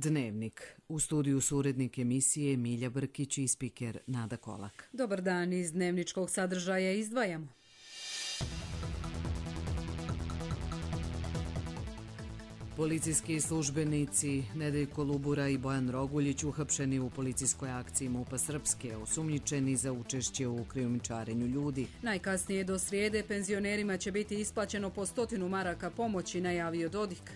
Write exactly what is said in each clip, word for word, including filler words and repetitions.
Dnevnik. U studiju su urednik emisije Milja Brkić i spiker Nada Kolak. Dobar dan, iz dnevničkog sadržaja izdvajamo. Policijski službenici Nedeljko Lubura i Bojan Roguljić uhapšeni u policijskoj akciji MUP-a Srpske, osumnjičeni za učešće u krijumčarenju ljudi. Najkasnije do srijede penzionerima će biti isplaćeno po stotinu maraka pomoći, najavio Dodik.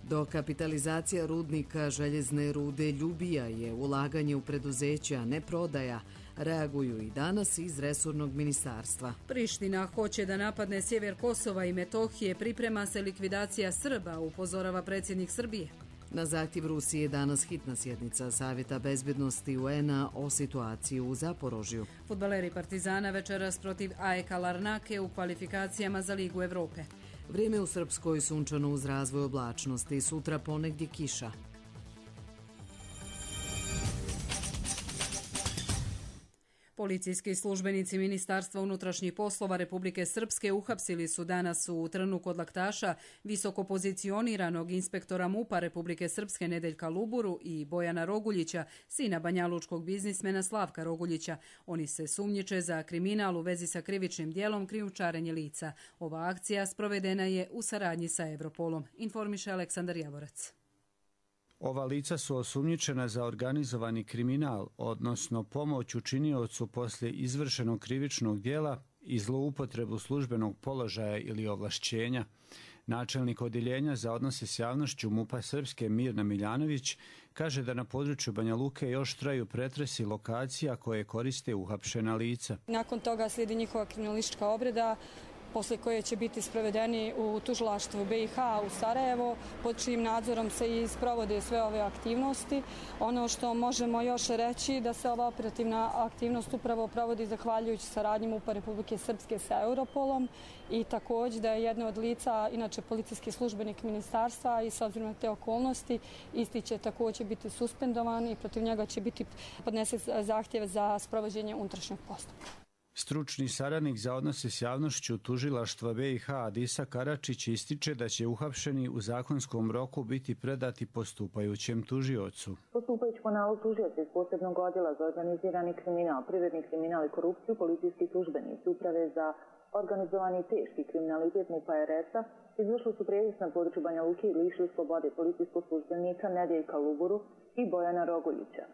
Dokapitalizacija rudnika željezne rude Ljubija je ulaganje u preduzeća, a ne prodaja. Reaguju i danas iz resornog ministarstva. Priština hoće da napadne sjever Kosova i Metohije, priprema se likvidacija Srba, upozorava predsjednik Srbije. Na zahtjev Rusije danas hitna sjednica Savjeta bezbednosti U N A o situaciji u Zaporožju. Fudbaleri Partizana večeras protiv A E K Larnake u kvalifikacijama za Ligu Evrope. Vrijeme u Srpskoj sunčano uz razvoj oblačnosti, sutra ponegdje kiša. Policijski službenici Ministarstva unutrašnjih poslova Republike Srpske uhapsili su danas u Trnu kod Laktaša visoko pozicioniranog inspektora MUP-a Republike Srpske Nedeljka Luburu i Bojana Roguljića, sina banjalučkog biznismena Slavka Roguljića. Oni se sumnjiče za kriminal u vezi sa krivičnim djelom krijumčarenje lica. Ova akcija sprovedena je u saradnji sa Europolom, informiše Aleksandar Javorac. Ova lica su osumnjičena za organizovani kriminal, odnosno pomoć učiniocu poslije izvršenog krivičnog djela i zloupotrebu službenog položaja ili ovlašćenja. Načelnik odjeljenja za odnose s javnošću MUP-a Srpske Mirna Miljanović kaže da na području Banja Luke još traju pretresi lokacija koje koriste uhapšena lica. Nakon toga slijedi njihova kriminalistička obrada, poslije koje će biti sprovedeni u tužilaštvu B i H u Sarajevo, pod čijim nadzorom se i sprovode sve ove aktivnosti. Ono što možemo još reći da se ova operativna aktivnost upravo provodi zahvaljujući saradnji MUP-a Republike Srpske sa Europolom i također da je jedno od lica, inače policijski službenik ministarstva i s obzirom na te okolnosti, isti će također biti suspendovan i protiv njega će biti podnesen zahtjev za sprovođenje unutrašnjeg postupka. Stručni saradnik za odnose s javnošću tužilaštva B i H Adisa Karačić ističe da će uhapšeni u zakonskom roku biti predati postupajućem tužiocu. Postupajući po nalogu tužioca iz posebnog odjela za organizirani kriminal, privredni kriminal i korupciju, policijski službenici Uprave za organizovani i teški kriminalitet MUP-a R S-a izvršili su prijevis na području Banja Luke i lišili slobode policijskog službenika Nedeljka Luburu i Bojana Roguljića.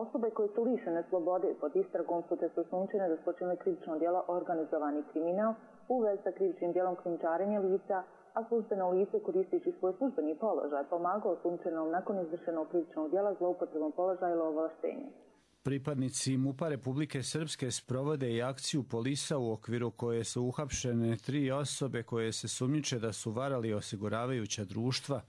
Osobe koje su lišene slobode pod istragom su te su osumnjičene da su počinile krivično djelo organizovani kriminal u vezi sa krivičnim djelom krijumčarenja lica, a službeno lice koristeći svoj službeni položaj pomagao osumnjičenom nakon izvršenog krivičnog djela zloupotrebom položaja ili ovlaštenja. Pripadnici MUP-a Republike Srpske sprovode i akciju Polisa u okviru koje su uhapšene tri osobe koje se sumnjiče da su varali osiguravajuća društva.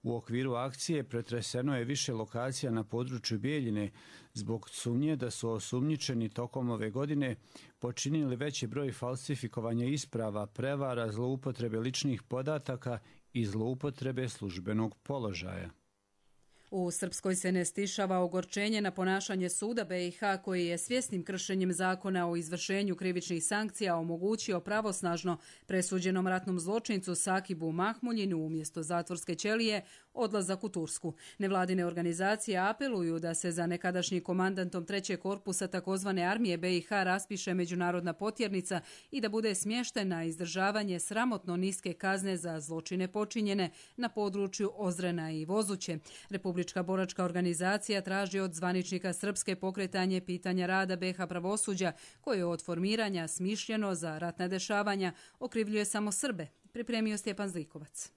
U okviru akcije pretreseno je više lokacija na području Bijeljine zbog sumnje da su osumnjičeni tokom ove godine počinili veći broj falsifikovanja isprava, prevara, zloupotrebe ličnih podataka i zloupotrebe službenog položaja. U Srpskoj se ne stišava ogorčenje na ponašanje suda B i H koji je svjesnim kršenjem zakona o izvršenju krivičnih sankcija omogućio pravosnažno presuđenom ratnom zločincu Sakibu Mahmuljinu umjesto zatvorske ćelije odlazak u Tursku. Nevladine organizacije apeluju da se za nekadašnji komandantom trećeg korpusa takozvane armije B i H raspiše međunarodna potjernica i da bude smješten na izdržavanje sramotno niske kazne za zločine počinjene na području Ozrena i Vozuće. Republička boračka organizacija traži od zvaničnika Srpske pokretanje pitanja rada B i H pravosuđa koje od formiranja smišljeno za ratna dešavanja okrivljuje samo Srbe, pripremio Stjepan Zlikovac.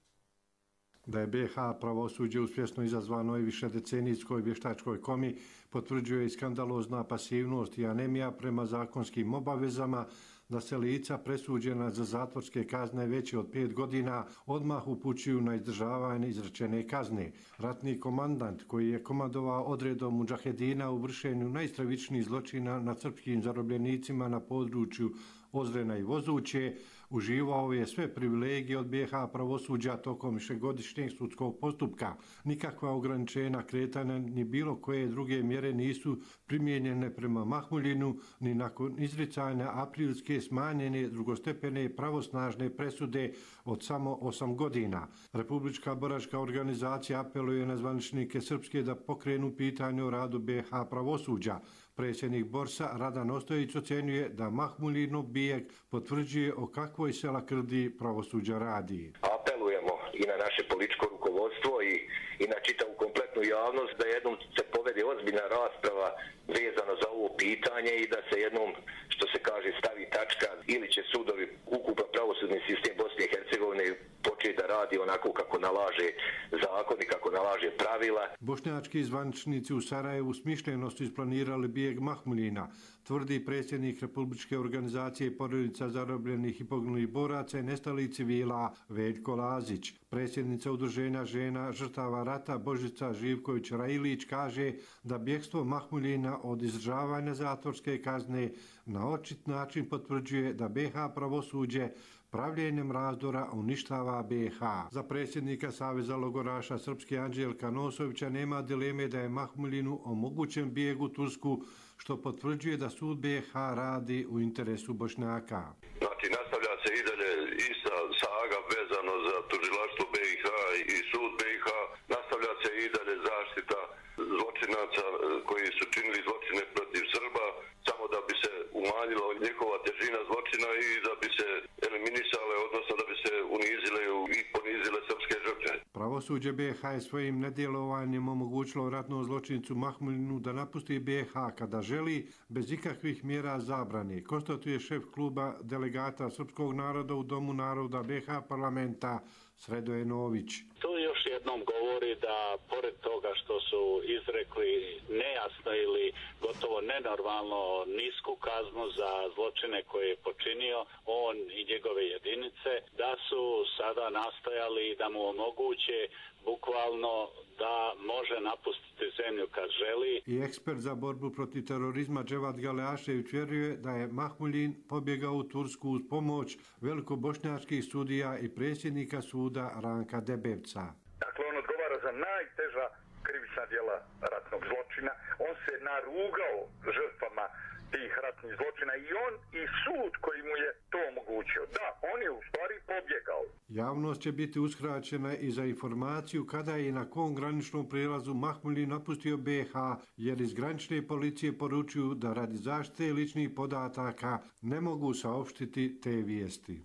Da je B i H pravosuđe uspješno izazvano i višedecenijskoj vještačkoj komi potvrđuje i skandalozna pasivnost i anemija prema zakonskim obavezama da se lica presuđena za zatvorske kazne veće od pet godina odmah upućuju na izdržavanje izrečene kazne. Ratni komandant koji je komandovao odredom mudžahedina u vršenju najstravičnijih zločina nad srpskim zarobljenicima na području Ozrena i Vozuće, uživao je sve privilegije od B i H pravosuđa tokom višegodišnjeg sudskog postupka. Nikakva ograničenja kretanja ni bilo koje druge mjere nisu primijenjene prema Mahmuljinu ni nakon izricanja aprilske smanjene drugostepene pravosnažne presude od samo osam godina. Republička boračka organizacija apeluje na zvaničnike Srpske da pokrenu pitanje o radu B i H pravosuđa. Predsjednik Borsa Radan Ostojić ocjenjuje da Mahmuljinov bijeg potvrđuje o kakvoj se lakrdiji pravosuđa radi. Apelujemo i na naše političko rukovodstvo i, i na čitavu kompletnu javnost da jednom se povede ozbiljna rasprava vezano za ovo pitanje i da se jednom, što se kaže, stavi tačka ili će sudovi, ukupan pravosudni sistem Bosne i Hercegovine početi da radi onako kako nalaže zakon i kako nalaže pravila. Bošnjački zvaničnici u Sarajevu smišljeno su isplanirali bijeg Mahmuljina, tvrdi predsjednik Republičke organizacije porodica zarobljenih i poginulih boraca i nestalih civila Veljko Lazić. Predsjednica udruženja žena žrtava rata Božica Živković-Railić kaže da bjegstvo Mahmuljina od izdržavanja zatvorske kazne na očit način potvrđuje da B i H pravosuđe pravljenjem razdora uništava B i H. Za predsjednika Saveza logoraša Srpske Anđelka Nosovića nema dileme da je Mahmuljinu omogućen bijeg u Tursku, što potvrđuje da sud B i H radi u interesu Bošnjaka. Znači, nastavlja se i dalje ista saga vezano za tužilaštvo B i H i sud B i H. Nastavlja se i dalje zaštita zločinaca koji su činili zločine protiv Srba, samo da bi se umanjila njihova težina zločina i da bi se eliminisale, odnosno da bi se unizile i ponizile srpske žrtve. Pravosuđe B i H je svojim nedjelovanjem omogućilo ratnom zločincu Mahmuljinu da napusti B i H kada želi, bez ikakvih mjera zabrane, konstatuje šef kluba delegata srpskog naroda u Domu naroda B i H parlamenta Sredoje Nović. To još jednom govori da, pored toga što su izrekli nejasno ili gotovo nenormalno nisku kaznu za zločine koje je počinio on i njegove jedinice, da su sada nastojali da mu omoguće bukvalno da može napustiti zemlju kad želi. I ekspert za borbu protiv terorizma Dževat Galeašević vjeruje da je Mahmuljin pobjegao u Tursku uz pomoć velikobošnjačkih sudija i predsjednika suda Ranka Debevca. Dakle, on odgovara za najteža krivična djela ratnog zločina. On se narugao žrtvama tih ratnih zločina i on i sud koji mu je to omogućio. Da, on je u stvari pobjegao. Javnost će biti uskraćena i za informaciju kada je na kom graničnom prijelazu Mahmuljin napustio B i H, jer iz granične policije poručuju da radi zaštite ličnih podataka ne mogu saopštiti te vijesti.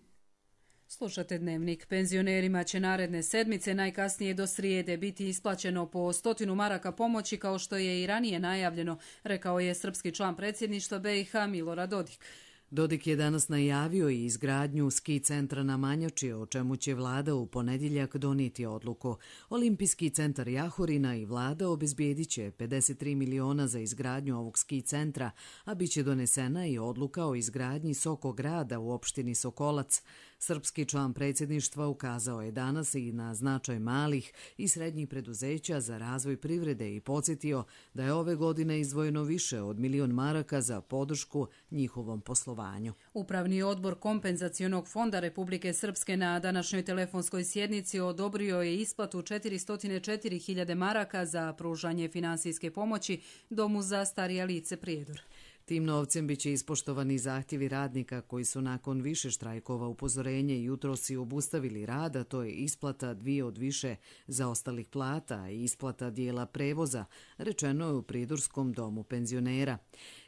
Slušate Dnevnik. Penzionerima će naredne sedmice, najkasnije do srijede, biti isplaćeno po stotinu maraka pomoći, kao što je i ranije najavljeno, rekao je srpski član predsjedništva B i H Milorad Dodik. Dodik je danas najavio i izgradnju ski centra na Manjači, o čemu će vlada u ponedjeljak donijeti odluku. Olimpijski centar Jahorina i vlada obezbijedit će pedeset tri miliona za izgradnju ovog ski centra, a bit će donesena i odluka o izgradnji Sokograda u opštini Sokolac. Srpski član predsjedništva ukazao je danas i na značaj malih i srednjih preduzeća za razvoj privrede i podsjetio da je ove godine izdvojeno više od milion maraka za podršku njihovom poslovanju. Upravni odbor Kompenzacionog fonda Republike Srpske na današnjoj telefonskoj sjednici odobrio je isplatu četiristo četiri hiljade maraka za pružanje finansijske pomoći Domu za starija lice Prijedor. Tim novcem biće ispoštovani zahtjevi radnika koji su nakon više štrajkova upozorenje jutros i obustavili rad, a to je isplata dvije od više zaostalih plata i isplata dijela prevoza, rečeno je u Prijedorskom domu penzionera.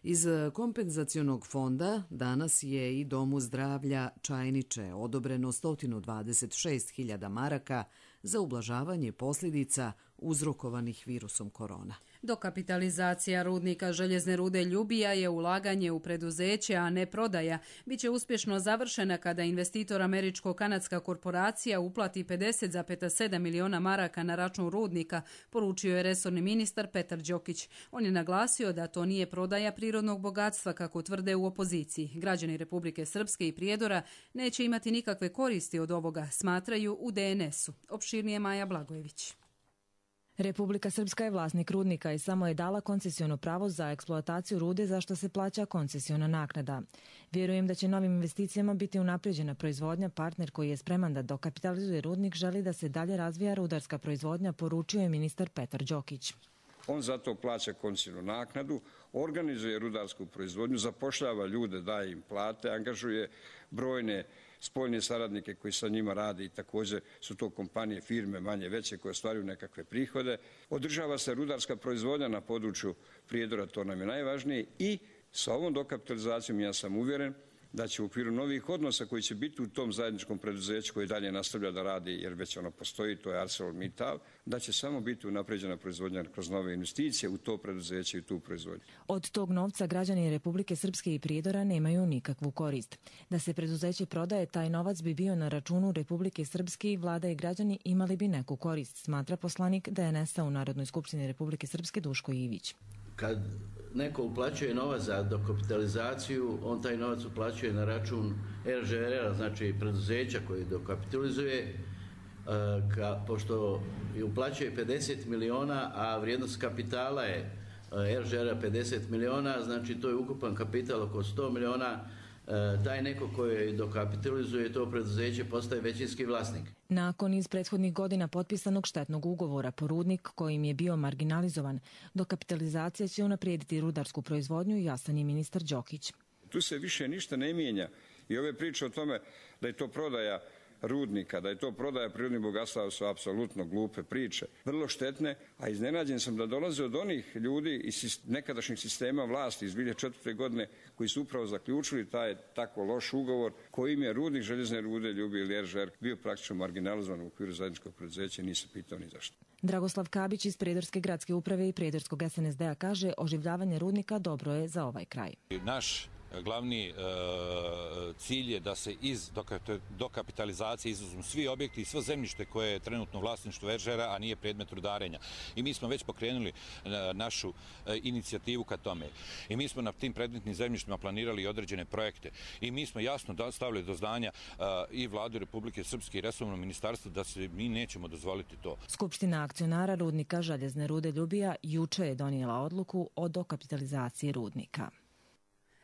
Iz kompenzacionog fonda danas je i Domu zdravlja Čajniče odobreno sto dvadeset šest hiljada maraka za ublažavanje posljedica uzrokovanih virusom korona. Dokapitalizacija rudnika željezne rude Ljubija je ulaganje u preduzeće, a ne prodaja. Biće uspješno završena kada investitor američko-kanadska korporacija uplati pedeset zarez sedam miliona maraka na račun rudnika, poručio je resorni ministar Petar Đokić. On je naglasio da to nije prodaja prirodnog bogatstva, kako tvrde u opoziciji. Građani Republike Srpske i Prijedora neće imati nikakve koristi od ovoga, smatraju u D N S-u. Opširnije Maja Blagojević. Republika Srpska je vlasnik rudnika i samo je dala koncesiono pravo za eksploataciju rude za što se plaća koncesiona naknada. Vjerujem da će novim investicijama biti unaprijeđena proizvodnja. Partner koji je spreman da dokapitalizuje rudnik želi da se dalje razvija rudarska proizvodnja, poručio je ministar Petar Đokić. On zato plaća koncesionu naknadu, organizuje rudarsku proizvodnju, zapošljava ljude, daje im plate, angažuje brojne spoljne saradnike koji sa njima rade i također su to kompanije, firme manje veće koje ostvaruju nekakve prihode. Održava se rudarska proizvodnja na području Prijedora, to nam je najvažnije, i sa ovom dokapitalizacijom ja sam uvjeren da će u okviru novih odnosa koji će biti u tom zajedničkom preduzeću koji dalje nastavlja da radi, jer već ono postoji, to je ArcelorMittal, da će samo biti unapređena proizvodnja kroz nove investicije u to preduzeće i tu proizvodnju. Od tog novca građani Republike Srpske i Prijedora nemaju nikakvu korist. Da se preduzeće prodaje, taj novac bi bio na računu Republike Srpske i vlada i građani imali bi neku korist, smatra poslanik D N S-a u Narodnoj skupštini Republike Srpske Duško Ivić. Kad neko uplaćuje novac za dokapitalizaciju, on taj novac uplaćuje na račun R Ž R-a, znači preduzeća koji dokapitalizuje, ka, pošto je uplaćuje pedeset miliona, a vrijednost kapitala je R Ž R-a pedeset miliona, znači to je ukupan kapital oko sto miliona. Taj neko koji dokapitalizuje to preduzeće postaje većinski vlasnik. Nakon iz prethodnih godina potpisanog štetnog ugovora po rudnik kojim je bio marginalizovan, dokapitalizacija će unaprijediti rudarsku proizvodnju, jasan je ministar Đokić. Tu se više ništa ne mijenja i ove priče o tome da je to prodaja rudnika, da je to prodaja prirodnih bogatstava su apsolutno glupe priče, vrlo štetne, a iznenađen sam da dolaze od onih ljudi iz nekadašnjih sistema vlasti iz dvije hiljade četvrte. godine koji su upravo zaključili taj tako loš ugovor kojim je rudnik željezne rude Ljubi ili R Ž R bio praktično marginalizovan u okviru zajedničkog preduzeća i nisam pitao ni zašto. Dragoslav Kabić iz Prijedorske gradske uprave i Prijedorskog S N S D-a kaže oživljavanje rudnika dobro je za ovaj kraj. Naš glavni e, cilj je da se iz dokapitalizacije izuzmu svi objekti i svo zemljište koje je trenutno u vlasništvu R Ž R-a, a nije predmet rudarenja. I mi smo već pokrenuli e, našu e, inicijativu ka tome. I mi smo na tim predmetnim zemljištima planirali određene projekte. I mi smo jasno stavili do znanja e, i Vladu Republike Srpske i resorno ministarstvo da se mi nećemo dozvoliti to. Skupština akcionara rudnika željezne rude Ljubija juče je donijela odluku o dokapitalizaciji rudnika.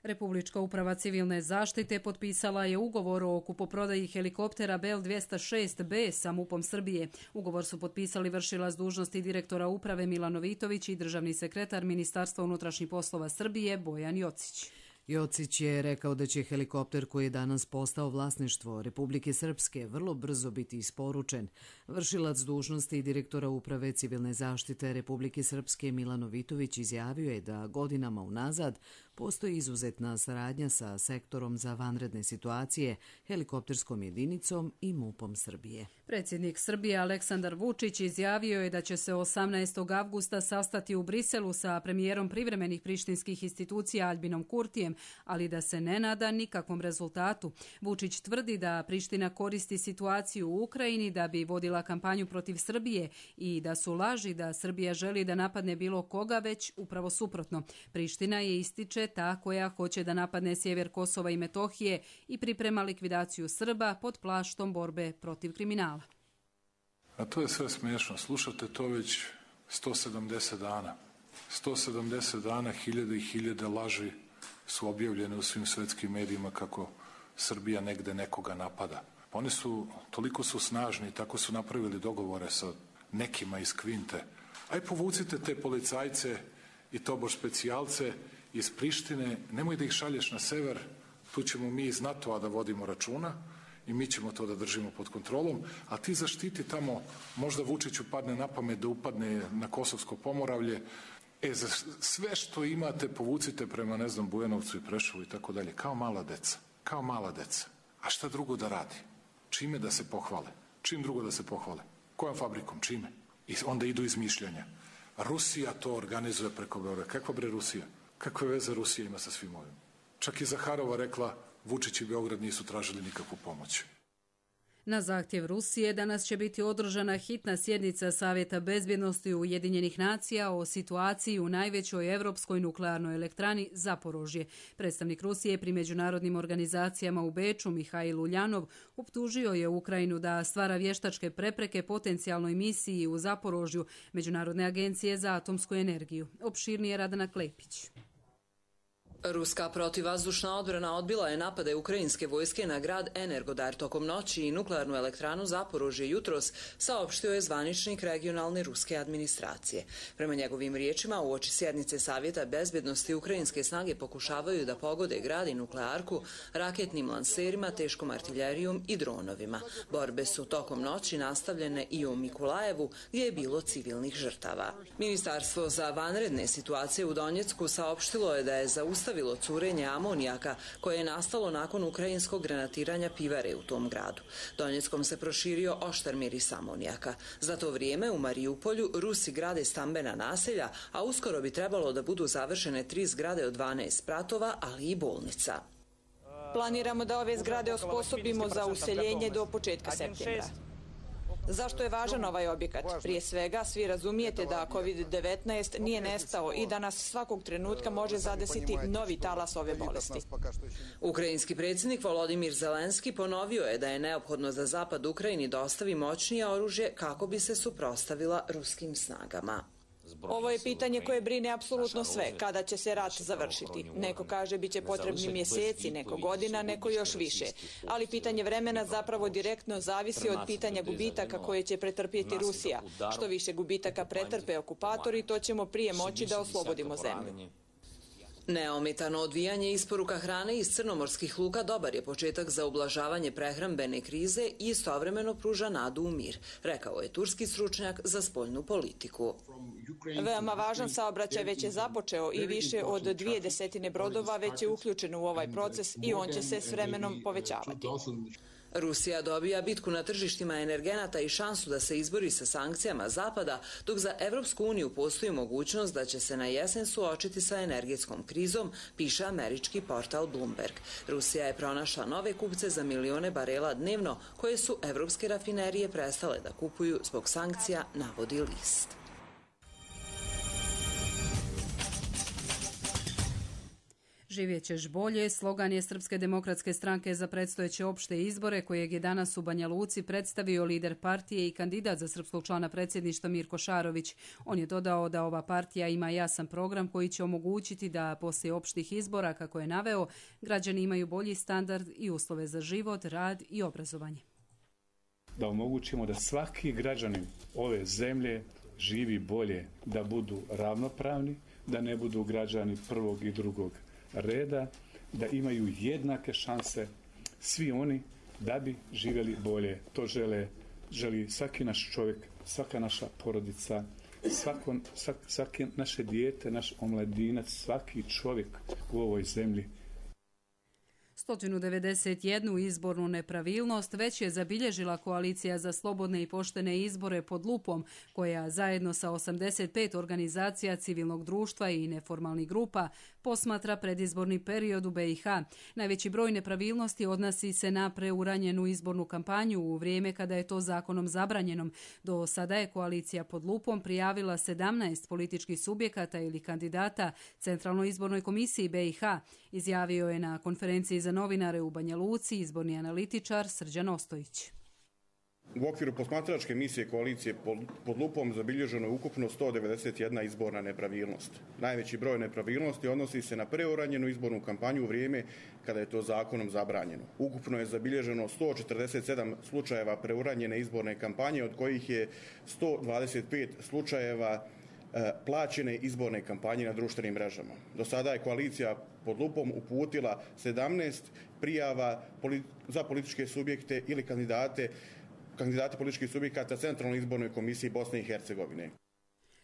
Republička uprava civilne zaštite potpisala je ugovor o kupoprodaji helikoptera Bell dvjesto šest B sa MUP-om Srbije. Ugovor su potpisali vršilac dužnosti direktora uprave Milan Novitović i državni sekretar Ministarstva unutrašnjih poslova Srbije Bojan Jocić. Jocić je rekao da će helikopter koji je danas postao vlasništvo Republike Srpske vrlo brzo biti isporučen. Vršilac dužnosti direktora uprave civilne zaštite Republike Srpske Milan Novitović izjavio je da godinama unazad postoji izuzetna saradnja sa sektorom za vanredne situacije, helikopterskom jedinicom i MUP-om Srbije. Predsjednik Srbije Aleksandar Vučić izjavio je da će se osamnaestog avgusta sastati u Briselu sa premijerom privremenih prištinskih institucija Albinom Kurtijem, ali da se ne nada nikakvom rezultatu. Vučić tvrdi da Priština koristi situaciju u Ukrajini da bi vodila kampanju protiv Srbije i da su laži da Srbija želi da napadne bilo koga, već upravo suprotno. Priština je, ističe, ta koja hoće da napadne sjever Kosova i Metohije i priprema likvidaciju Srba pod plaštom borbe protiv kriminala. A to je sve smiješno. Slušate to već sto sedamdeset dana. sto sedamdeset dana, hiljade i hiljade laži su objavljene u svim svetskim medijima kako Srbija negde nekoga napada. Oni su, toliko su snažni i tako su napravili dogovore sa nekima iz Kvinte. Aj povucite te policajce i tobož specijalce iz Prištine, nemoj da ih šalješ na sever, tu ćemo mi iz NATO-a da vodimo računa i mi ćemo to da držimo pod kontrolom, a ti zaštiti tamo, možda Vučiću padne na pamet da upadne na Kosovsko Pomoravlje, e, za sve što imate povucite prema, ne znam, Bujanovcu i Prešovu i tako dalje, kao mala deca, kao mala deca. A šta drugo da radi? Čime da se pohvale? Čim drugo da se pohvale? Kojom fabrikom? Čime? I onda idu izmišljanja. Rusija to organizuje preko Beograda. Kakva bre Rusija? Kakve veze Rusija ima sa svim ovim? Čak i Zaharova rekla, Vučić i Beograd nisu tražili nikakvu pomoć. Na zahtjev Rusije danas će biti održana hitna sjednica Savjeta bezbjednosti Ujedinjenih nacija o situaciji u najvećoj evropskoj nuklearnoj elektrani Zaporožje. Predstavnik Rusije pri međunarodnim organizacijama u Beču, Mihail Uljanov, optužio je Ukrajinu da stvara vještačke prepreke potencijalnoj misiji u Zaporožju Međunarodne agencije za atomsku energiju. Opširnije Radana Klepić. Ruska protivvazdušna odbrana odbila je napade ukrajinske vojske na grad Energodar tokom noći i nuklearnu elektranu Zaporožje jutros, saopštio je zvaničnik regionalne ruske administracije. Prema njegovim riječima, uoči sjednice Savjeta bezbjednosti ukrajinske snage pokušavaju da pogode grad i nuklearku raketnim lanserima, teškom artiljerijom i dronovima. Borbe su tokom noći nastavljene i u Mikulajevu, gdje je bilo civilnih žrtava. Ministarstvo za vanredne situacije u Donjecku saopštilo je da je zaustavljeno stavilo curenje amonijaka koje je nastalo nakon ukrajinskog granatiranja pivare u tom gradu. Donjeckom se proširio oštar miris amonijaka. Za to vrijeme u Mariupolju Rusi grade stambena naselja, a uskoro bi trebalo da budu završene tri zgrade od dvanaest spratova, ali i bolnica. Planiramo da ove zgrade osposobimo za useljenje do početka septembra. Zašto je važan ovaj objekat? Prije svega, svi razumijete da kovid devetnaest nije nestao i da nas svakog trenutka može zadesiti novi talas ove bolesti. Ukrajinski predsjednik Volodimir Zelenski ponovio je da je neophodno da Zapad Ukrajini dostavi moćnije oružje kako bi se suprotstavila ruskim snagama. Ovo je pitanje koje brine apsolutno sve. Kada će se rat završiti? Neko kaže bit će potrebni mjeseci, neko godina, neko još više. Ali pitanje vremena zapravo direktno zavisi od pitanja gubitaka koje će pretrpjeti Rusija. Što više gubitaka pretrpe okupatori, to ćemo prije moći da oslobodimo zemlju. Neometano odvijanje isporuka hrane iz crnomorskih luka dobar je početak za ublažavanje prehrambene krize i istovremeno pruža nadu u mir, rekao je turski stručnjak za spoljnu politiku. Veoma važan saobraćaj već je započeo i više od dvije desetine brodova već je uključeno u ovaj proces i on će se s vremenom povećavati. Rusija dobija bitku na tržištima energenata i šansu da se izbori sa sankcijama Zapada, dok za Evropsku uniju postoji mogućnost da će se na jesen suočiti sa energetskom krizom, piše američki portal Bloomberg. Rusija je pronašla nove kupce za milione barela dnevno, koje su evropske rafinerije prestale da kupuju zbog sankcija, navodi list. Živjet ćeš bolje, slogan je Srpske demokratske stranke za predstojeće opšte izbore, kojeg je danas u Banja Luci predstavio lider partije i kandidat za srpskog člana predsjedništva Mirko Šarović. On je dodao da ova partija ima jasan program koji će omogućiti da poslije opštih izbora, kako je naveo, građani imaju bolji standard i uslove za život, rad i obrazovanje. Da omogućimo da svaki građanin ove zemlje živi bolje, da budu ravnopravni, da ne budu građani prvog i drugog reda, da imaju jednake šanse svi oni da bi živjeli bolje. To žele, želi svaki naš čovjek, svaka naša porodica, svako, svak, svaki naše dijete, naš omladinac, svaki čovjek u ovoj zemlji. sto devedeset jednu izbornu nepravilnost već je zabilježila Koalicija za slobodne i poštene izbore pod lupom, koja zajedno sa osamdeset pet organizacija civilnog društva i neformalnih grupa posmatra predizborni period u be i ha. Najveći broj nepravilnosti odnosi se na preuranjenu izbornu kampanju u vrijeme kada je to zakonom zabranjenom. Do sada je Koalicija pod lupom prijavila sedamnaest političkih subjekata ili kandidata Centralnoj izbornoj komisiji be i ha, izjavio je na konferenciji za novinare u Banja Luci izborni analitičar Srđan Ostojić. U okviru posmatračke misije Koalicije pod lupom zabilježeno je ukupno sto devedeset jedna izborna nepravilnost. Najveći broj nepravilnosti odnosi se na preuranjenu izbornu kampanju u vrijeme kada je to zakonom zabranjeno. Ukupno je zabilježeno sto četrdeset sedam slučajeva preuranjene izborne kampanje, od kojih je sto dvadeset pet slučajeva plaćene izborne kampanje na društvenim mrežama. Do sada je Koalicija pod lupom uputila sedamnaest prijava za političke subjekte ili kandidate kandidati političkih subjekata Centralnoj izbornoj komisiji Bosne i Hercegovine.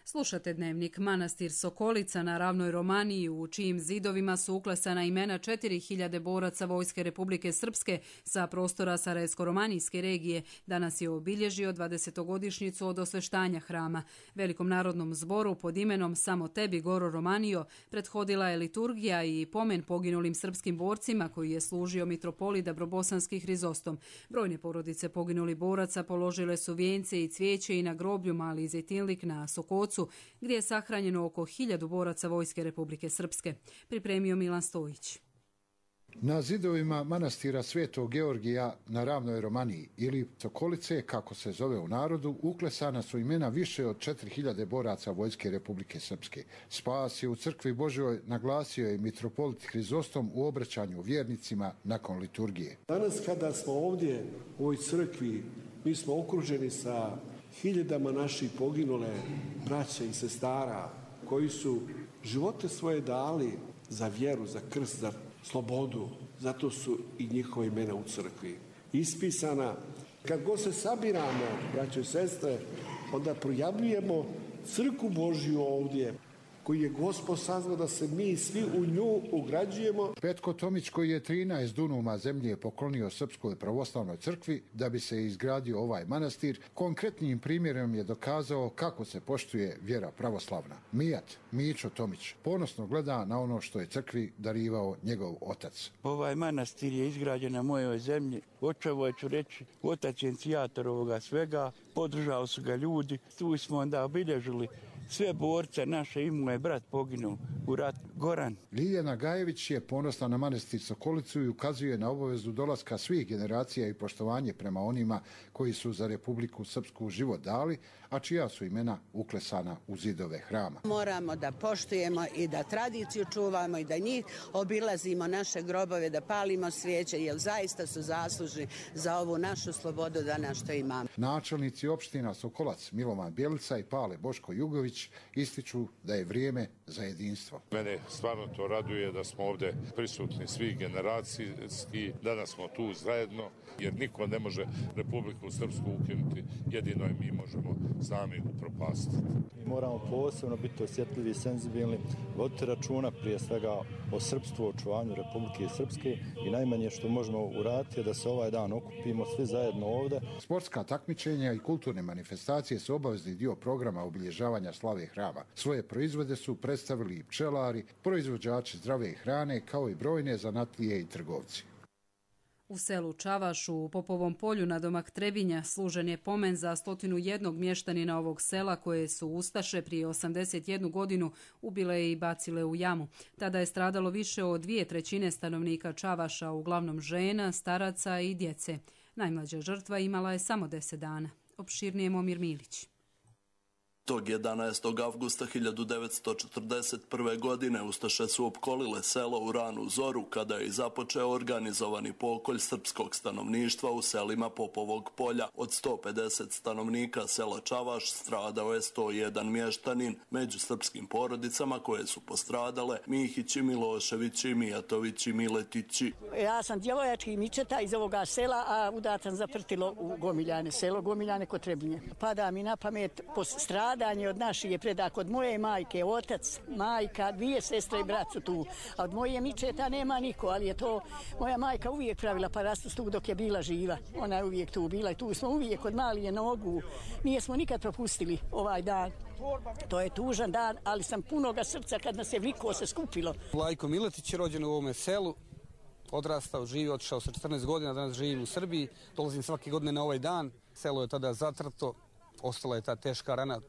Slušate dnevnik. Manastir Sokolica na ravnoj Romaniji, u čijim zidovima su uklesana imena četiri hiljade boraca Vojske Republike Srpske sa prostora Sarajevsko-romanijske regije, danas je obilježio dvadesetogodišnjicu od osveštanja hrama. Velikom narodnom zboru pod imenom Samo tebi, Goro Romanio, prethodila je liturgija i pomen poginulim srpskim borcima koji je služio mitropolita Dabrobosanski Hrizostom. Brojne porodice poginulih boraca položile su vijence i cvijeće i na groblju Mali Zejtinlik na Sokocu, gdje je sahranjeno oko hiljadu boraca Vojske Republike Srpske. Pripremio Milan Stojić. Na zidovima manastira Svetog Georgija na ravnoj Romaniji ili Sokolice, kako se zove u narodu, uklesana su imena više od četiri hiljade boraca Vojske Republike Srpske. Spas je u crkvi Božjoj naglasio je mitropolit Hrizostom u obraćanju vjernicima nakon liturgije. Danas kada smo ovdje u ovoj crkvi, mi smo okruženi sa hiljadama naših poginule braće i sestara koji su živote svoje dali za vjeru, za krst, za slobodu. Zato su i njihova imena u crkvi ispisana. Kad god se sabiramo, braće i sestre, onda projavljujemo crkvu Božju ovdje, koji je Gospod saznao da se mi svi u nju ugrađujemo. Petko Tomić, koji je trinaest dunuma zemlje poklonio Srpskoj pravoslavnoj crkvi da bi se izgradio ovaj manastir, konkretnim primjerom je dokazao kako se poštuje vjera pravoslavna. Mijat, Mićo Tomić, ponosno gleda na ono što je crkvi darivao njegov otac. Ovaj manastir je izgrađen na mojoj zemlji. Očevo ću reći, otac je inicijator ovoga svega, podržali su ga ljudi, tu smo onda obilježili sve borce naše, i moj brat poginuo u rat Goran. Ljiljana Gajević je ponosna na manastir Sokolicu i ukazuje na obavezu dolaska svih generacija i poštovanje prema onima koji su za Republiku Srpsku život dali, a čija su imena uklesana u zidove hrama. Moramo da poštujemo i da tradiciju čuvamo i da njih obilazimo, naše grobove, da palimo svijeće, jer zaista su zaslužni za ovu našu slobodu danas što imamo. Načelnici opština Sokolac, Milovan Bjelica i Pale Boško Jugović ističu da je vrijeme za jedinstvo. Mene stvarno to raduje da smo ovdje prisutni svi generacijski, danas smo tu zajedno, jer niko ne može Republiku Srpsku ukinuti, jedino je mi možemo sami upropastiti. Moramo posebno biti osjetljivi i senzibilni, voditi računa prije svega o srpstvu, očuvanju Republike Srpske i najmanje što možemo uraditi je da se ovaj dan okupimo svi zajedno ovdje. Sportska takmičenja i kulturne manifestacije su obavezni dio programa obilježavanja slave hrama. Svoje proizvode su predstavili i pčelari, proizvođači zdrave hrane, kao i brojne zanatlije i trgovci. U selu Čavaš u Popovom polju na domak Trebinja služen je pomen za stotinu jednog mještanina ovog sela koje su ustaše prije osamdeset jednu godinu ubile i bacile u jamu. Tada je stradalo više od dvije trećine stanovnika Čavaša, uglavnom žena, staraca i djece. Najmlađa žrtva imala je samo deset dana. Opširnije Momir Milić. Tog jedanaestog avgusta hiljadu devetsto četrdeset prve. godine ustaše su opkolile selo u ranu zoru kada je započeo organizovani pokolj srpskog stanovništva u selima Popovog polja. Od sto pedeset stanovnika sela Čavaš stradao je sto jedan mještanin. Među srpskim porodicama koje su postradale Mihići, Miloševići, Mijatovići, Miletići. Ja sam djevojački Mičeta iz ovoga sela, a udatan zaprtilo u Gomiljane, selo Gomiljane kod Trebinje. Pada mi na pamet postradanje od naših je predak od moje majke, otac, majka, dvije sestre i brat su tu. A od moje Mičeta nema niko, ali je to moja majka uvijek pravila parastus tu dok je bila živa. Ona je uvijek tu bila i tu smo uvijek od malije nogu. Nije smo nikad propustili ovaj dan. To je tužan dan, ali sam punoga srca kad nas je vliko se skupilo. Lajko Miletić je rođen u ovome selu, odrastao, živio, otišao sa četrnaest godina, danas živim u Srbiji, dolazim svake godine na ovaj dan. Selo je tada zatrto, ostala je ta teška rana.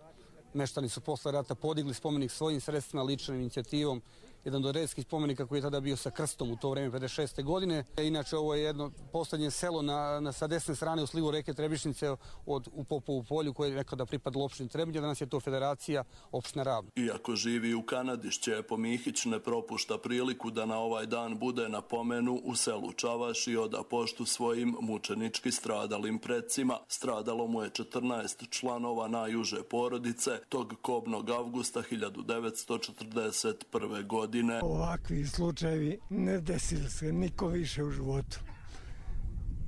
Meštani su posle rata podigli spomenik svojim sredstvima, ličnom inicijativom, jedan od redskih spomenika koji je tada bio sa krstom u to vreme pedeset šeste. godine. Inače, ovo je jedno posljednje selo na, na, sa desne strane u slivu reke Trebišnice od, u Popovu polju koje je nekada pripadalo opštini Trebinje, danas je to federacija opština Ravno. Iako živi u Kanadi, Šćepo Mihić ne propušta priliku da na ovaj dan bude na pomenu u selu Čavaš i oda poštu svojim mučenički stradalim predsima. Stradalo mu je četrnaest članova najuže porodice tog kobnog avgusta hiljadu devetsto četrdeset prve. godine. Ovakvi slučajevi ne desili se niko više u životu,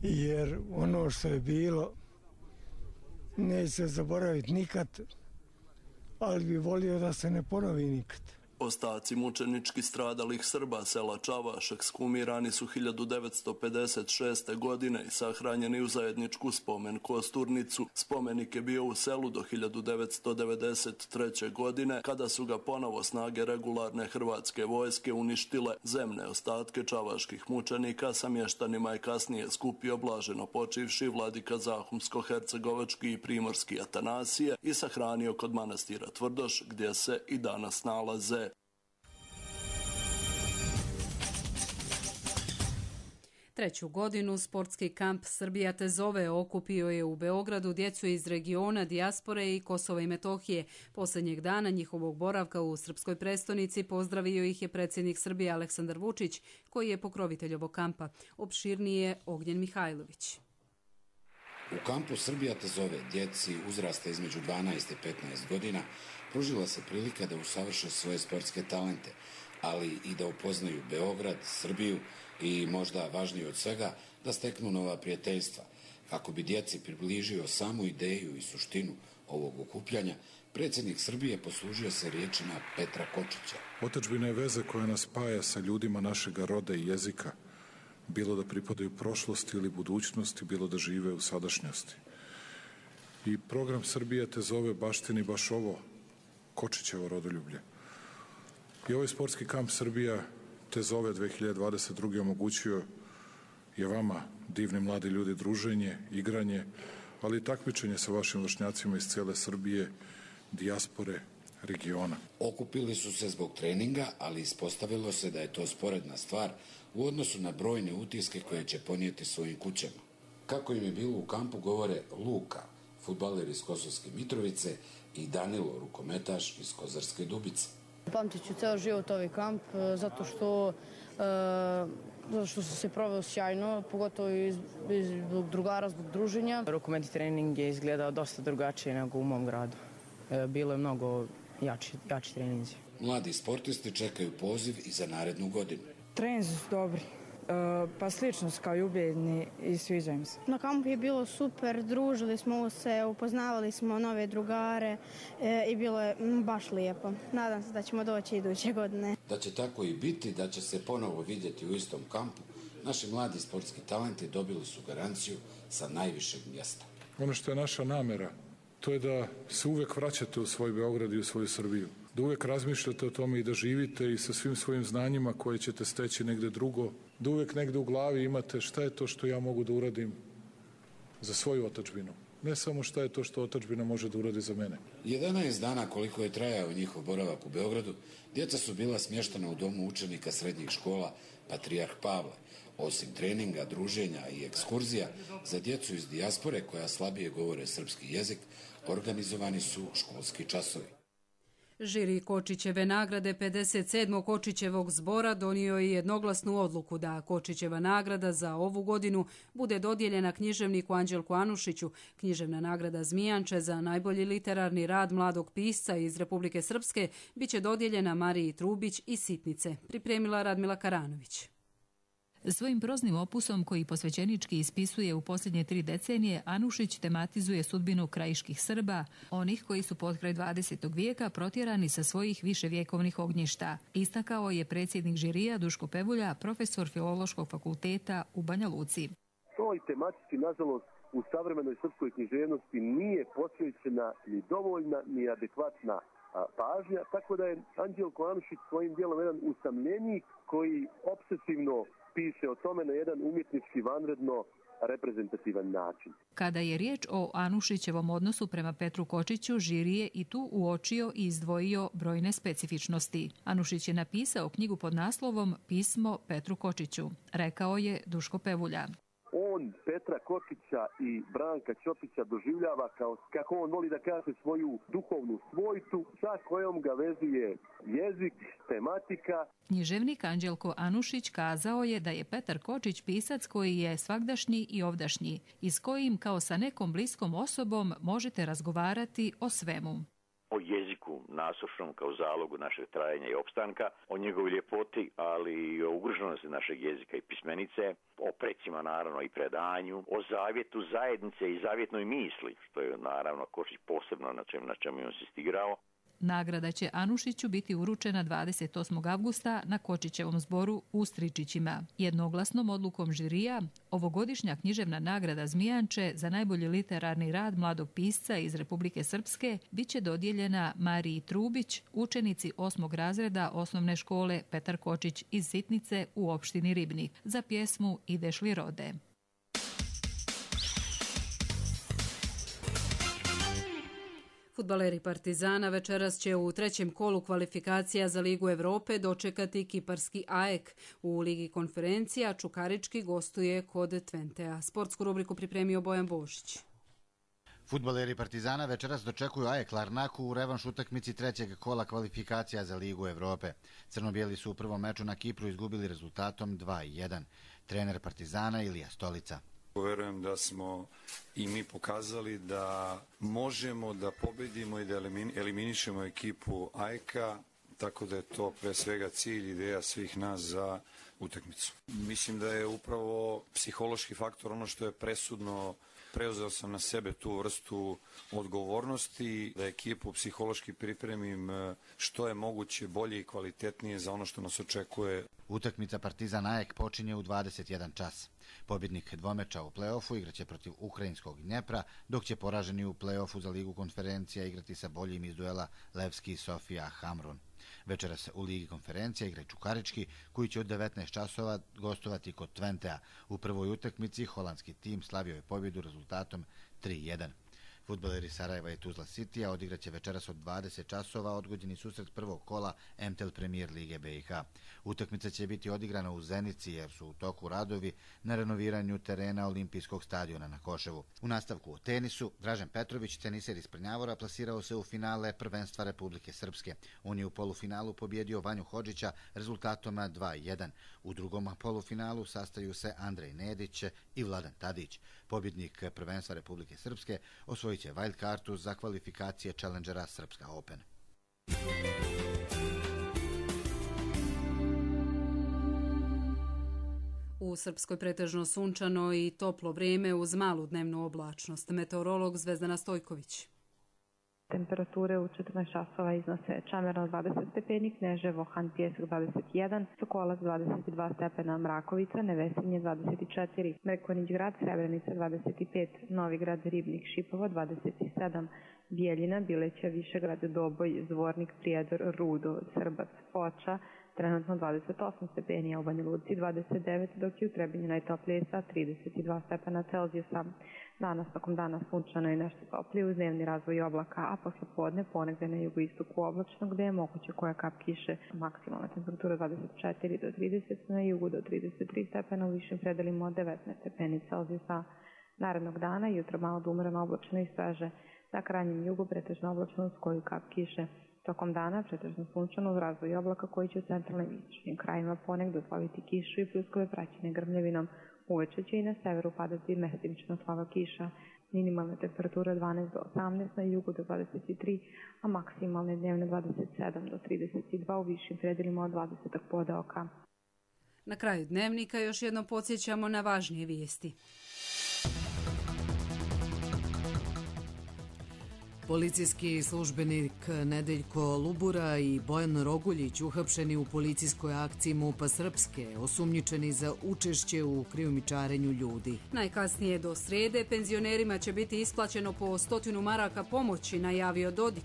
jer ono što je bilo neće se zaboraviti nikad, ali bi volio da se ne ponovi nikad. Ostaci mučenički stradalih Srba sela Čavaš ekshumirani su hiljadu devetsto pedeset šeste. godine i sahranjeni u zajedničku spomen kosturnicu. Spomenik je bio u selu do hiljadu devetsto devedeset treće. godine, kada su ga ponovo snage regularne hrvatske vojske uništile. Zemne ostatke čavaških mučenika sa mještanima je kasnije skupio blaženo počivši vladika Zahumsko-hercegovački i primorski Atanasije i sahranio kod manastira Tvrdoš, gdje se i danas nalaze. Treću godinu sportski kamp Srbija te zove okupio je u Beogradu djecu iz regiona, dijaspore i Kosova i Metohije. Posljednjeg dana njihovog boravka u srpskoj prestonici pozdravio ih je predsjednik Srbije Aleksandar Vučić, koji je pokrovitelj ovog kampa. Opširnije Ognjen Mihajlović. U kampu Srbija te zove djeci uzrasta između dvanaest i petnaest godina pružila se prilika da usavrše svoje sportske talente, ali i da upoznaju Beograd, Srbiju i možda važnije od svega da steknu nova prijateljstva. Kako bi djeci približio samu ideju i suštinu ovog okupljanja, predsjednik Srbije poslužio se riječima Petra Kočića. Otadžbina je veza koja nas spaja sa ljudima našega roda i jezika, bilo da pripadaju prošlosti ili budućnosti, bilo da žive u sadašnjosti. I program Srbija te zove baštini baš ovo, Kočićevo rodoljublje. I ovaj sportski kamp Srbija te zove dve hiljade dvadeset druge. omogućio je vama, divni mladi ljudi, druženje, igranje, ali i takmičenje sa vašim vršnjacima iz cijele Srbije, dijaspore, regiona. Okupili su se zbog treninga, ali ispostavilo se da je to sporedna stvar u odnosu na brojne utiske koje će ponijeti svojim kućama. Kako im je bilo u kampu govore Luka, fudbaler iz Kosovske Mitrovice, i Danilo, rukometaš iz Kozarske Dubice. Pamtit ću ceo život ovaj kamp zato što, uh, zato što sam se proveo sjajno, pogotovo iz, iz, zbog drugara, zbog druženja. Rukometni trening je izgledao dosta drugačije nego u mom gradu. Bilo je mnogo jači, jači treninzi. Mladi sportisti čekaju poziv i za narednu godinu. Treninzi su dobri. Pa slično kao i ubijedni i sviđa im se. Na kampu je bilo super, družili smo se, upoznavali smo nove drugare e, i bilo je baš lijepo. Nadam se da ćemo doći iduće godine. Da će tako i biti, da će se ponovo vidjeti u istom kampu, naši mladi sportski talenti dobili su garanciju sa najvišeg mjesta. Ono što je naša namera, to je da se uvijek vraćate u svoj Beograd i u svoju Srbiju. Da uvijek razmišljate o tome i da živite i sa svim svojim znanjima koje ćete steći negde drugo. Da uvijek negde u glavi imate šta je to što ja mogu da uradim za svoju otadžbinu. Ne samo šta je to što otadžbina može da uradi za mene. jedanaest dana koliko je trajao njihov boravak u Beogradu, djeca su bila smještena u domu učenika srednjih škola Patrijarh Pavle. Osim treninga, druženja i ekskurzija, za djecu iz dijaspore koja slabije govore srpski jezik, organizovani su školski časovi. Žiri Kočićeve nagrade pedeset sedmog Kočićevog zbora donio je jednoglasnu odluku da Kočićeva nagrada za ovu godinu bude dodijeljena književniku Anđelku Anušiću. Književna nagrada Zmijanče za najbolji literarni rad mladog pisca iz Republike Srpske biće dodijeljena Mariji Trubić iz Sitnice, pripremila Radmila Karanović. Svojim proznim opusom koji posvećenički ispisuje u posljednje tri decenije, Anušić tematizuje sudbinu krajiških Srba, onih koji su potkraj dvadesetog vijeka protjerani sa svojih viševjekovnih ognjišta. Istakao je predsjednik žirija Duško Pevulja, profesor Filološkog fakulteta u Banja Luci. Toj tematski, nažalost, u savremenoj srpskoj književnosti nije posvećena ni dovoljna, ni adekvatna pažnja, tako da je Anđelko Anušić svojim dijelom jedan usamljenik koji obsesivno piše o tome na jedan umjetnički vanredno reprezentativan način. Kada je riječ o Anušićevom odnosu prema Petru Kočiću, žiri je i tu uočio i izdvojio brojne specifičnosti. Anušić je napisao knjigu pod naslovom Pismo Petru Kočiću, rekao je Duško Pevulja. On Petra Kočića i Branka Ćopića doživljava kao, kako on voli da kaže, svoju duhovnu svojtu sa kojom ga vezuje jezik, tematika. Književnik Anđelko Anušić kazao je da je Petar Kočić pisac koji je svagdašnji i ovdašnji i s kojim kao sa nekom bliskom osobom možete razgovarati o svemu. O jeziku nasušnom kao zalogu našeg trajanja i opstanka, o njegovoj ljepoti, ali i o ugroženosti našeg jezika i pismenice, o precima naravno i predanju, o zavjetu zajednice i zavjetnoj misli, što je naravno Kočić posebno na čemu, na čemu je on insistirao. Nagrada će Anušiću biti uručena dvadeset osmog avgusta na Kočićevom zboru u Stričićima. Jednoglasnom odlukom žirija, ovogodišnja književna nagrada Zmijanče za najbolji literarni rad mladog pisca iz Republike Srpske biće dodijeljena Mariji Trubić, učenici osmog razreda osnovne škole Petar Kočić iz Sitnice u opštini Ribnik, za pjesmu Ideš li rode. Fudbaleri Partizana večeras će u trećem kolu kvalifikacija za Ligu Evrope dočekati kiparski A E K. U Ligi konferencija Čukarički gostuje kod Tventea. Sportsku rubriku pripremio Bojan Bošić. Fudbaleri Partizana večeras dočekuju A E K Larnaku u revanš utakmici trećeg kola kvalifikacija za Ligu Evrope. Crno-bijeli su u prvom meču na Kipru izgubili rezultatom dva jedan. Trener Partizana Ilija Stolica. Verujem da smo i mi pokazali da možemo da pobedimo i da eliminišemo ekipu A E K-a, tako da je to pre svega cilj, ideja svih nas za utakmicu. Mislim da je upravo psihološki faktor ono što je presudno. Preuzeo sam na sebe tu vrstu odgovornosti, da ekipu psihološki pripremim što je moguće bolje i kvalitetnije za ono što nas očekuje. Utakmica Partizan A E K počinje u dvadeset jedan čas. Pobjednik dvomeča u play-offu igraće protiv ukrajinskog Dnjepra, dok će poraženi u play-offu za Ligu konferencija igrati sa boljim iz duela Levski Sofija Hamrun. Večeras u Ligi konferencija igra Čukarički, koji će od devetnaest časova gostovati kod Tventea. U prvoj utakmici holandski tim slavio je pobjedu rezultatom tri jedan. Fudbaleri Sarajeva i Tuzla Citya odigraće večeras od dvadeset časova odgođeni susret prvog kola M T L Premier Lige B i H. Utakmica će biti odigrana u Zenici jer su u toku radovi na renoviranju terena Olimpijskog stadiona na Koševu. U nastavku u tenisu, Dražen Petrović, teniser iz Prnjavora, plasirao se u finale prvenstva Republike Srpske. On je u polufinalu pobjedio Vanju Hodžića rezultatom dva jedan. U drugom polufinalu sastaju se Andrej Nedić i Vladan Tadić. Pobjednik prvenstva Republike Srpske osvojit će wild kartu za kvalifikacije Challengera Srpska Open. U Srpskoj pretežno sunčano i toplo vrijeme uz malu dnevnu oblačnost. Meteorolog Zvezdana Stojković. Temperature u četrnaest časova iznose Čameran dvadeset stepeni, Kneževo, Han Pjesak dvadeset jedan, Sokolac dvadeset dva stepena, Mrakovica, Nevesinje dvadeset četiri, Mrkonjić grad, Srebrenica dvadeset pet, Novi grad, Ribnik, Šipovo dvadeset sedam, Bijeljina, Bileća, Višegrad, Doboj, Zvornik, Prijedor, Rudo, Srbac, Foča, trenutno dvadeset osam stepeni, a u Banja Luci dvadeset devet, dok je u Trebinju najtoplije sa trideset dva stepena Celzijusa. Danas tokom dana sunčano i nešto toplije uz dnevni razvoj oblaka, a posle podne ponegde na jugoistoku oblačno gde je moguće koja kap kiše. Maksimalna temperatura dvadeset četiri do trideset, na jugu do trideset tri stepena, u višim predelima od devetnaest stepeni Celzijusa. Narednog dana jutro malo da umereno oblačno i sveže, na krajnjem jugu pretežno oblačno uz koju kap kiše. Tokom dana pretežno sunčano uz razvoj oblaka koji će u centralnim i istočnim krajima ponegde usloviti kišu i pljuskove praćene grmljavinom. Uveče će i na severu padati mestimično slaba kiša. Minimalne temperature dvanaest do osamnaest, na jugu do dvadeset tri, a maksimalne dnevne dvadeset sedam do trideset dva, u višim predelima od dvadeset podeoka. Na kraju dnevnika još jednom podsjećamo na važnije vijesti. Policijski službenik Nedeljko Lubura i Bojan Roguljić uhapšeni u policijskoj akciji MUP-a Srpske, osumnjičeni za učešće u krijumčarenju ljudi. Najkasnije do srede penzionerima će biti isplaćeno po stotinu maraka pomoći, najavio Dodik.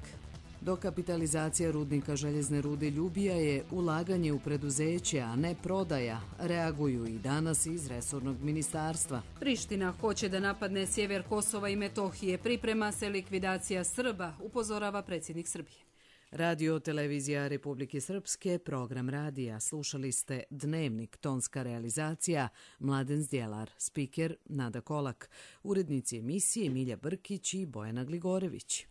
Dokapitalizacija rudnika željezne rude Ljubija je ulaganje u preduzeće, a ne prodaja, reaguju i danas iz resornog ministarstva. Priština hoće da napadne sjever Kosova i Metohije, priprema se likvidacija Srba, upozorava predsjednik Srbije. Radio Televizija Republike Srpske, program radija. Slušali ste Dnevnik, tonska realizacija, Mladen Zdjelar, spiker Nada Kolak, urednici emisije Milja Brkić i Bojana Gligorević.